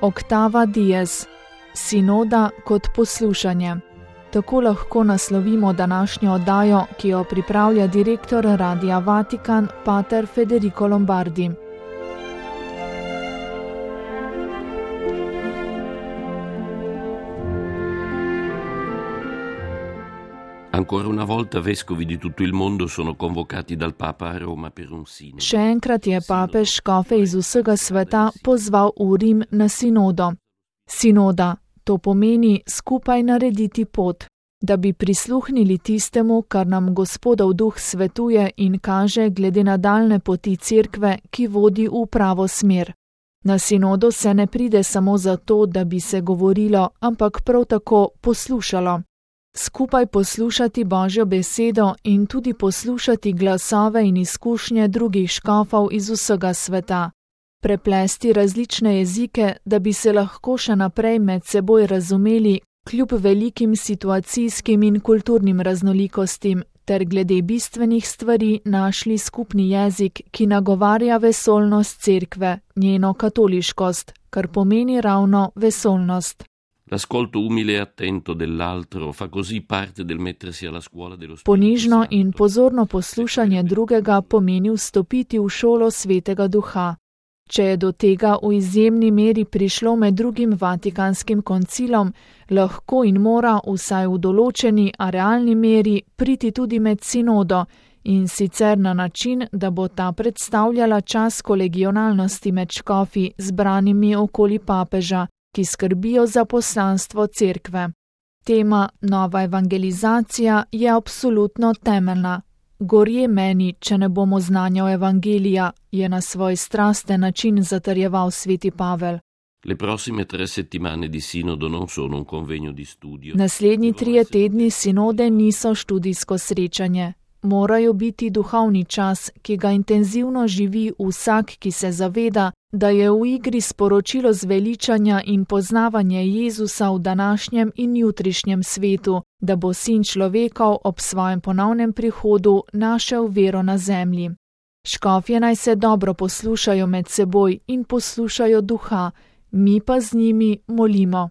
Octava dies. Sinoda kot poslušanje. Tako lahko naslovimo današnjo oddajo, ki jo pripravlja direktor Radia Vatikan, pater Federico Lombardi. Ancora una volta vescovi di tutto il mondo sono convocati dal Papa a Roma per un sinodo. Še enkrat je papež škofe iz vsega sveta pozval v Rim na sinodo. Sinoda, to pomeni skupaj narediti pot, da bi prisluhnili tistemu, kar nam Gospodov duh svetuje in kaže glede nadaljne poti cerkve, ki vodi v pravo smer. Na sinodo se ne pride samo zato, da bi se govorilo, ampak prav tako poslušalo. Skupaj poslušati Božjo besedo in tudi poslušati glasove in izkušnje drugih škofov iz vsega sveta. Preplesti različne jezike, da bi se lahko še naprej med seboj razumeli, kljub velikim situacijskim in kulturnim raznolikostim, ter glede bistvenih stvari našli skupni jezik, ki nagovarja vesoljnost cerkve, njeno katoliškost, kar pomeni ravno vesoljnost. L'ascolto umile e attento dell'altro fa così parte del mettersi alla scuola dello Spirito Ponižno Santo. in pozorno poslušanje drugega pomeni vstopiti v šolo Svetega Duha. Če je do tega v izjemni meri prišlo med drugim Vatikanskim koncilom, lahko in mora vsaj v določeni, a realni meri priti tudi med sinodo, in sicer na način, da bo ta predstavljala čas kolegionalnosti med škofi zbranimi okoli papeža, ki skrbijo za poslanstvo cerkve. Tema nova evangelizacija je absolutno temeljna. Gorje meni, če ne bomo znanja evangelija, je na svoj strasten način zatrjeval sveti Pavel. Le prossime 3 settimane di sinodo non sono un convegno di studio. Naslednji 3 tedni sinode niso študijsko srečanje. Morajo biti duhovni čas, ki ga intenzivno živi vsak, ki se zaveda, da je v igri sporočilo zveličanja in poznavanje Jezusa v današnjem in jutrišnjem svetu, da bo sin človekov ob svojem ponovnem prihodu našel vero na zemlji. Škofje naj se dobro poslušajo med seboj in poslušajo duha, mi pa z njimi molimo.